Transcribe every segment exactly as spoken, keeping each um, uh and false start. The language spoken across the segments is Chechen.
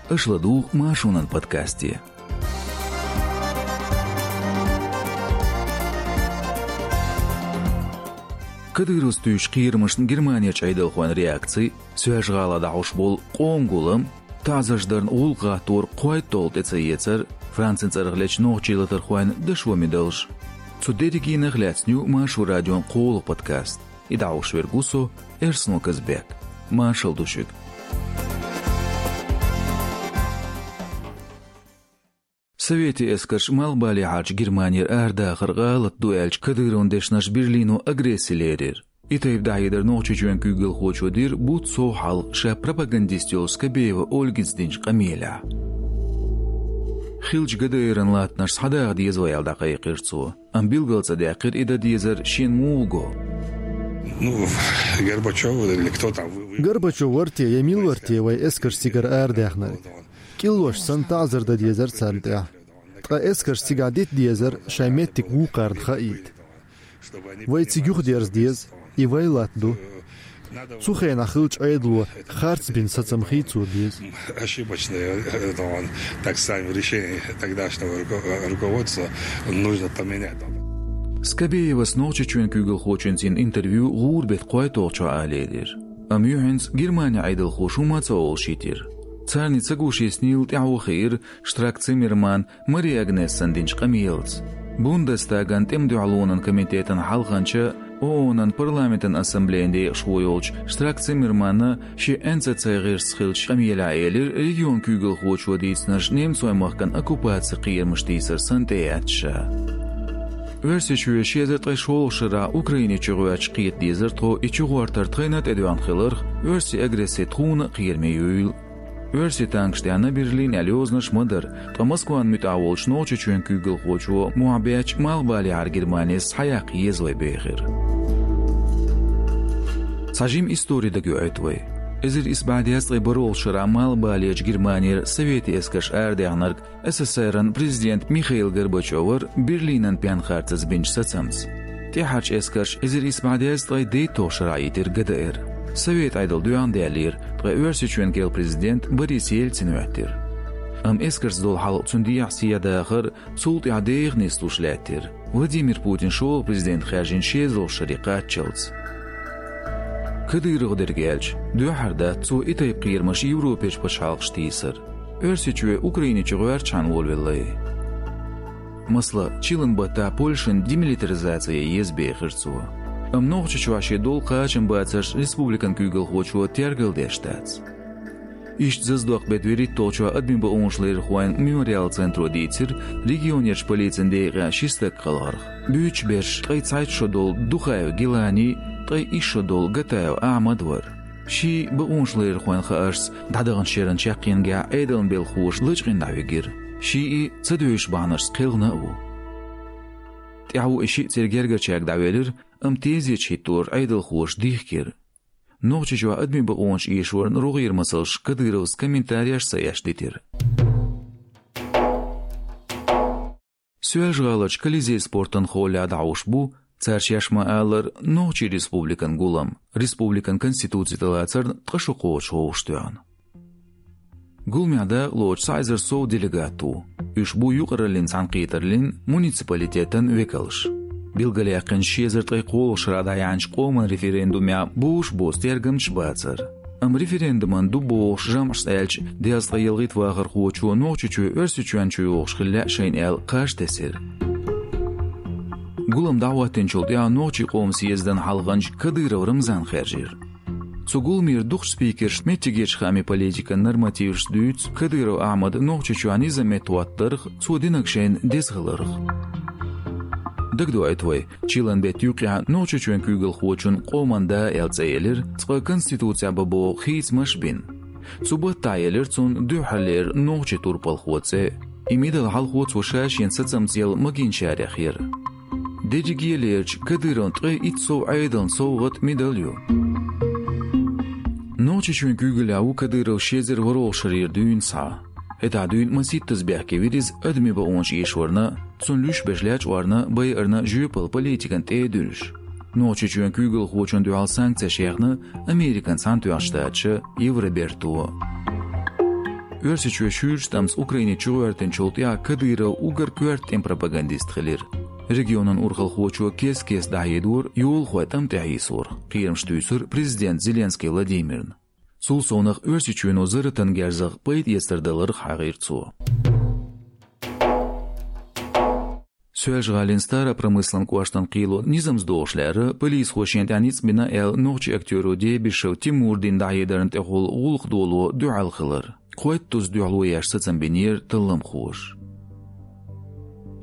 Аша ладугӀу Маршонан подкасте. Кадыровс туьйсучу кхерамашна Германерчу Ӏедалхойн реакци, Соьлжа-ГӀалахь дӀахьош болу къоман гулам, таӀзарш дарна гӀуллакх гӀаттор кхойтталгӀа тӀе ца эцар, Францин цӀарах лечу нохчийн латархойн дашо медалш. Цу дерригенах лаьцна ю Маршо радион кхоалгӀа подкаст. И дӀахьош верг ву со, Эрсано Казбек. Маршалла ду шуьга. Советийн эскарш Малхбалехьарчу Германера арадахар гӀалат ду аьлча, Кадыровн дешнаш Берлино агресси лерира. И тайпа дӀахьедар Нохчийчоьнан куьйгалхочо дира бутт сов хьалха ша пропагандист йолчу Скобеева Ольгица динчу къамелехь. Хиллачу ГДР-ан латтанаш схьадаха деза вай аьлла дӀакхайкхира цо. Амма билгал ца даьккхира и дан дезар шена муха го. Ну, Горбачёв или кто там, вы, вы... Горбачёв вара те я мила вара те вай эскарш цигара арадаьхнарг? КӀиллош санна таӀзар дан дезара царна тӀехь. Ткъа эскарш цигахь дита дезара шайн меттиг вукхарна хаийта. Вай цига юхадерза деза, и вай латта ду. Цу хенахь хиллачу Ӏедало харц бина сацам хи цо беза. Ошибочное, э, это он, так скажем, решение тогдашнего руко-, э, руководства нужно поменять. Скобеевас Нохчийчоьнан куьйгалхочуьнца йина интервью гӀуран беттан кхойтталгӀачохь а лелийра. Амма юьхьанца Германин Ӏедалхоша хӀума а ца олуш йитира. Царна ца гуш йиснийла тӀаьхьо хиира Штрак Циммерман Мари Агнессан динчу къамелаца. Бундестаган тӀеман дуьхьалонан комитетан хьалханча, ООН-ан парламентан ассамблеян декъашхо йолчу Штрак Циммерманна шен Н Ц Ц гӀирсаца хиллачу къамелехь элира, регионан куьйгалхочо дийцинарш немцойн махкана оккупацин кхерамаш тийсар санна тӀеэцна ша. Оьрсийчоь ши эзар ткъе шолгӀачу шарахь Украине чугӀоьртича кхета дезара тхо, и чугӀортар тхайна а тӀедоьгӀна хиларх, оьрсийн агресси тхуна а кхераме юйла. Оьрсийн танкаш тӀе яьхна Берлин аьлла йозанаш ма дара, ткъа Москвана муьтӀахь волчу Нохчийчоьнан куьйгалхочо мохь бетташ Малхбалехьара Германис схьаяккха еза вай бехира. Цхьа жима истори дагайоуьйту вай. Эзар исс бӀе дезткъе бархӀолгӀачу шарахь Малхбалерчу Германера советийн эскарш арадаьхнарг С С С Р-ан президент Михаил Горбачёвара Берлинан пенхарцаза бинчу сацамца. ТӀаьхьарчу эскарша эзар исс бӀе дезткъе дейтталгӀачу шарахь йитира Г Д Р. Совет Ӏедал доьхна даьллера, ткъа Оьрсийчоьнан керла президент Борис Ельцин хӀоьттира. Амма эскарца долу хьал, цуьнан дехьа сехьа дахар, цул тӀаьхьа деха нислуш лаьттира, Владимир Путин шолгӀа президент хаьржина шолгӀачу шаре кхаччалц. Кадыровх дерг аьлча, дуьххьара дац цо и тайпа кхерамаш Европерчу пачхьалкхашка тийсар. Оьрсийчоь Украине чугӀоьртичхьана волавеллай. Масала, чиллан баттахь Польшина демилитаризаци ян еза бехира цо. Амма Нохчийчохь шен долу кхачамбацарш республикан куьйгалхочо тергалдеш дац. Иштта Заздокъ беттан вуьрхӀитталгӀачохь адамийн бакъонаш ларъярхойн Мемориал центро дийцира регионерчу полицин декъехь ши стаг кхалхарх. Буьйцуш берш ткъе цхьайтта шо долу Духаев Гилани, ткъе исс шо долу Гатаев Ахьмад вара. Шиъ бакъонаш ларъярхойн хааршца дӀадаханчу шеран чаккхенгахь Ӏедалан белхахоша лачкъийна дӀавигира. Шиъ ца девзаш бахьанашца кхелхина а ву. ТӀаьхьо и шиъ церан гергарчаьрга дӀавелира, амма тезеташ хӀиттор Ӏедалхоша дихкира. Нохчийчохь адамийн бакъонаш эшорна рогӀера масалш Кадыровс комментареш ца еш дитира. Соьлжа-ГӀаларчу Колизей спортан холлехь дӀахьош бу, цара шаьш ма-аллара, Нохчийн Республикан гулам, республикан Конституци тӀелацарна ткъа шо кхочуш хьовсуш тоьхна. Гуламехь дакъалоцуш цхьа эзар сов делегат ву. Уьш бу юкъараллин цхьаьнакхетараллин, муниципалитетан векалш. Билгалъяьккхина ши эзар ткъе кхоалгӀачу шарахь дӀаяьхьначу къоман референдумехь бозуш боцу тергамчаш бацара. Амма референдуман ду бохуш жамӀашца аьлча, дезткъе ялхитта вахархочо Нохчийчоь Оьрсийчоьнна чуйогӀуш хила лаьа шайна аьлла кхаж тесира. Гулам дӀахӀоттийначул тӀаьхьа Нохчийн къоман съездан хьалханча Кадыров Рамзан хаьржира. Цу гуламера дукхачу спикерша меттигерчу хаамийн политикан нормативашца дуьйцу Кадыров Ахьмада Нохчийчохь низам меттахӀоттарх, цо динарг шайна деза хиларх. Дагадоуьйту вай, чиллан беттан юккъехь Нохчийчоьнан куьйгалхочунна Къоман да аьлла цӀе елира, цкъа Конституцехь бан боху хийцамаш а бина. Цу баттахь елира цунна дуьххьарлера нохчийн турпалхо цӀе. И медаль хьалхо цо ша шена сацамца елла магийначарех яра. Дерриге а лерча, Кадыровн ткъе итт сов Ӏедална совгӀат медаль ю. Нохчийчоьнан куьйгаллехь ву Кадыров ши эзар ворхӀалгӀачу шарера дуьйна схьа. ХӀетахь дуьйна масийттаза бехке вира иза адамийн бакъонаш эшорна, цунна луьйш берш лечкъорна, байарна жоьпалла политикана тӀе а дуьллуш. Нохчийчоьнан куьйгалхочунна дуьхьал санкцеш яьхна Американ Цхьаьнатоьхначу Штаташа, Евроберто. Оьрсийчоь шуьйрачу тӀамца Украине чугӀоьртинчул тӀаьхьа Кадыров уггар коьрта тӀеман пропагандист хилира. Регионан урхалхочо кес-кес дӀахьедора йолахой тӀам тӀехьийсорах, кхерамаш туьйсура президента Зеленский Владимирна. Цул совнах Оьрсийчоьно зарратан герзах пайда эцар даларах хьахийра цо. Соьлжа-ГӀалин Старопромыслан кӀоштан кхело низамца догӀуш лаьрра, полисхоша шена тӀехь ницкъ бина аьлла, нохчийн актеро Дебишев Тимура дина дӀахьедарна тӀехула гӀуллакх доло дуьхьал хилар. Кхойтта тус дуьхьало еш сацам бинера талламхоша.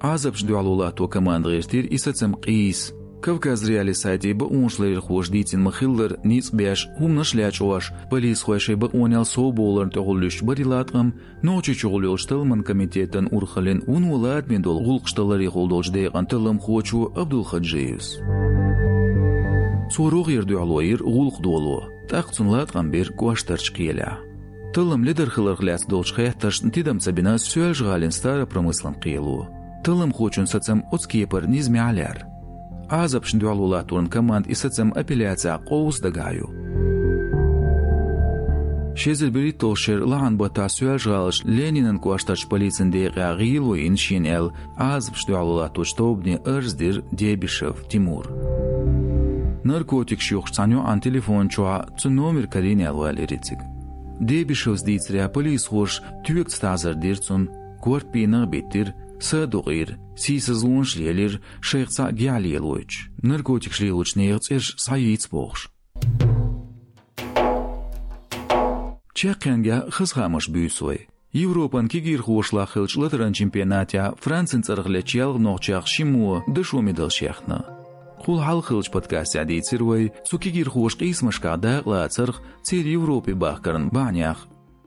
Ӏазапашна дуьхьало латто команда гӀиртира и сацам къийса. Кавказ.Реалии сайте бакъонаш ларъярхоша дийцина ма-хиллара, ницкъ беш, хӀуманаш лечкъош, полисхой шайн бакъонел совбовларна тӀехула луьстуш бара и латкъам, Нохчийчухула йолчу талламан комитетан урхаллин вуно ладаме долу гӀуллакхаш таларехула долчу декъан талламхочо Абдулхаджиевс. Цо рогӀера дуьхьало йира гӀуллакх доло, тӀаккха цунна латкъам бира кӀоштарчу кхелехь. Таллам ледара хиларх лаьцна долчу хеттаршна тидам ца бина Соьлжа-ГӀалин Старопромыслан кхело. Талламхочун сацам оцу кепара низамехь лаьрра. Ӏазапашна дуьхьало латторан команда и сацам апелляцехь къовса дагахь йо. Ши эзар берхӀитталгӀачу шеран лахьан баттахь Соьлжа-ГӀаларчу Ленинан кӀоштарчу полицин декъехь гӀело йина шена аьлла, Ӏазапашна дуьхьало латточу тобане арз дира Дебишев Тимура. Наркотикаш юхуш цхьана йоӀана телефон чохь цуьнан номер карийна аьлла валийра и цига. Дебишевс дийцарехь, полисхоша тоьгаца таӀзар дира цунна, корта бийнах а биттира, са а дукъийра, сийсазлонаш а лелийра, шайх цхьаъ гихь лелойтуш, наркотикаш лелочу нехан цӀераш схьайийца бохуш. Чаккхенгахь хаза хаамаш буьйсу вай. Европан кегийрхошлахь хиллачу латаран чемпионатехь Францин цӀарах лечу ялх нохчех шиммо дашо медалш яьхна. Кхул хьалха хиллачу подкастехь дийцира вай цу кегийрхоша къийсамашкахь дакъалацарх, церан Европе бахкаран бахьанех.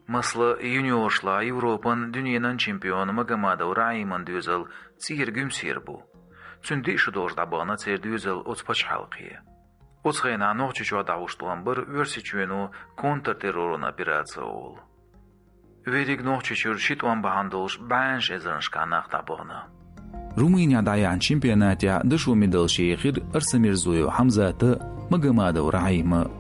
Масала, юниоршлахь Европан, дуьненан чемпион Магомадов Рахьиман доьзал цӀера Гуьмсера бу. Цуьнан диъ шу долуш дӀабахана церан доьзал оцу пачхьалкхе. Оцу хенахь Нохчийчохь дӀахьуш тӀом бара Оьрсийчоьно контртерроран операци олу. Верриг Нохчийчуьра ши тӀом бахьана долуш бӀеннаш эзарнашкахь нах дӀабахана. Румынехь дӀаяьхьначу чемпионатехь дашо медалш ехира Арсамирзоев Хьамзата а, Магомадов Рахьима а.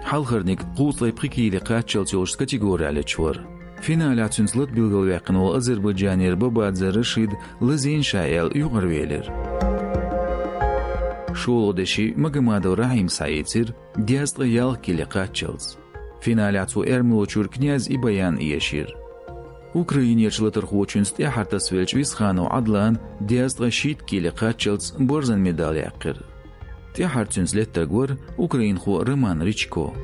Хьалхарниг кхузткъе пхи кийла кхаччалц йолчу категорехь лечвара. Финалехь цуьнца лата билгалваьккхина волу азербайджанера Бабадзе Рашид лазийна ша аьлла юкъара велира. ШолгӀа деши Магомадов Рахьима схьаийцира дезткъе ялх кийла кхаччалц. Финалехь цо эрмалочуьра Князь Ибаян эшийра. Украинерчу латархочуьнца тӀаьххьара тасавеллачу Висханов Ӏадлана дезткъе шийтта кийла кхаччалц борзан медаль яьккхира. ТӀаьххьара цуьнца леттарг вара украинхо Роман Ричко.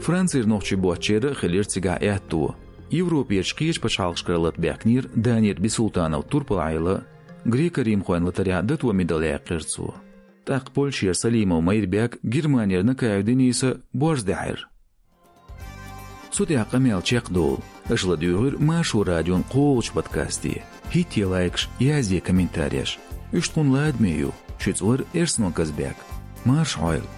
Францера нохчий боцчеран а хилира цигахь аьтто. Европерчу кхечу пачхьалкхашкара лата баьхкинера Данира Бисултанов турпалхьайла, грек-римхойн латарехь дато медаль яьккхира цо. ТӀаккха Польшера Салимов Майрбек, Германера Накаев Дениса борз даьхьира. Цу тӀехь къамел чекхдолу. Аша ладуьйгӀира Маршо радион кхоалгӀачу подкасте. ХӀиттае лайкаш, язде комментареш. Уьш тхуна ладаме ю. Шуьца вара Эрсано Казбек. Марша Ӏойла!